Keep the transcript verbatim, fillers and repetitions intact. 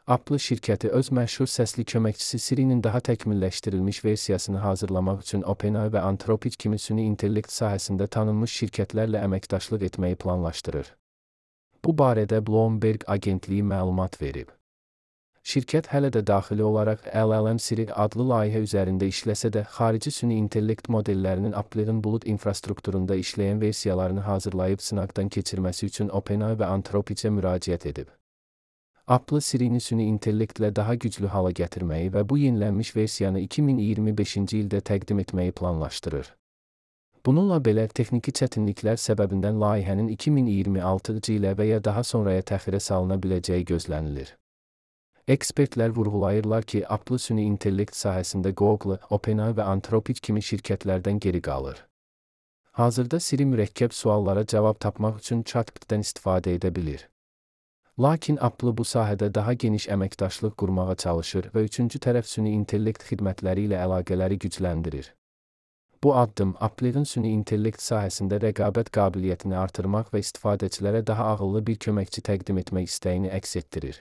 Apple şirkəti öz məşhur səsli köməkçisi Siri-nin daha təkmilləşdirilmiş versiyasını hazırlamaq üçün OpenAI və Anthropic kimi süni intellekt sahəsində tanınmış şirkətlərlə əməkdaşlıq etməyi planlaşdırır. Bu barədə Bloomberg agentliyi məlumat verib. Şirkət hələ də daxili olaraq L L M Siri adlı layihə üzərində işləsə də, xarici süni intellekt modellərinin Apple'ın bulud infrastrukturunda işləyən versiyalarını hazırlayıb sınaqdan keçirməsi üçün OpenAI və Anthropic'ə müraciət edib. Apple Siri-ni süni intellektlə daha güclü hala gətirməyi və bu yenilənmiş versiyanı iki min iyirmi beşinci ildə təqdim etməyi planlaşdırır. Bununla belə, texniki çətinliklər səbəbindən layihənin iki min iyirmi altıncı ilə və ya daha sonraya təxirə salına biləcəyi gözlənilir. Ekspertlər vurğulayırlar ki, Apple süni intellekt sahəsində Google, OpenAI və Anthropic kimi şirkətlərdən geri qalır. Hazırda Siri mürəkkəb suallara cavab tapmaq üçün chatbotdan istifadə edə bilir. Lakin Apple bu sahədə daha geniş əməkdaşlıq qurmağa çalışır və üçüncü tərəf süni intellekt xidmətləri ilə əlaqələri gücləndirir. Bu addım Apple'ın süni intellekt sahəsində rəqabət qabiliyyətini artırmaq və istifadəçilərə daha ağıllı bir köməkçi təqdim etmək istəyini əks etdirir.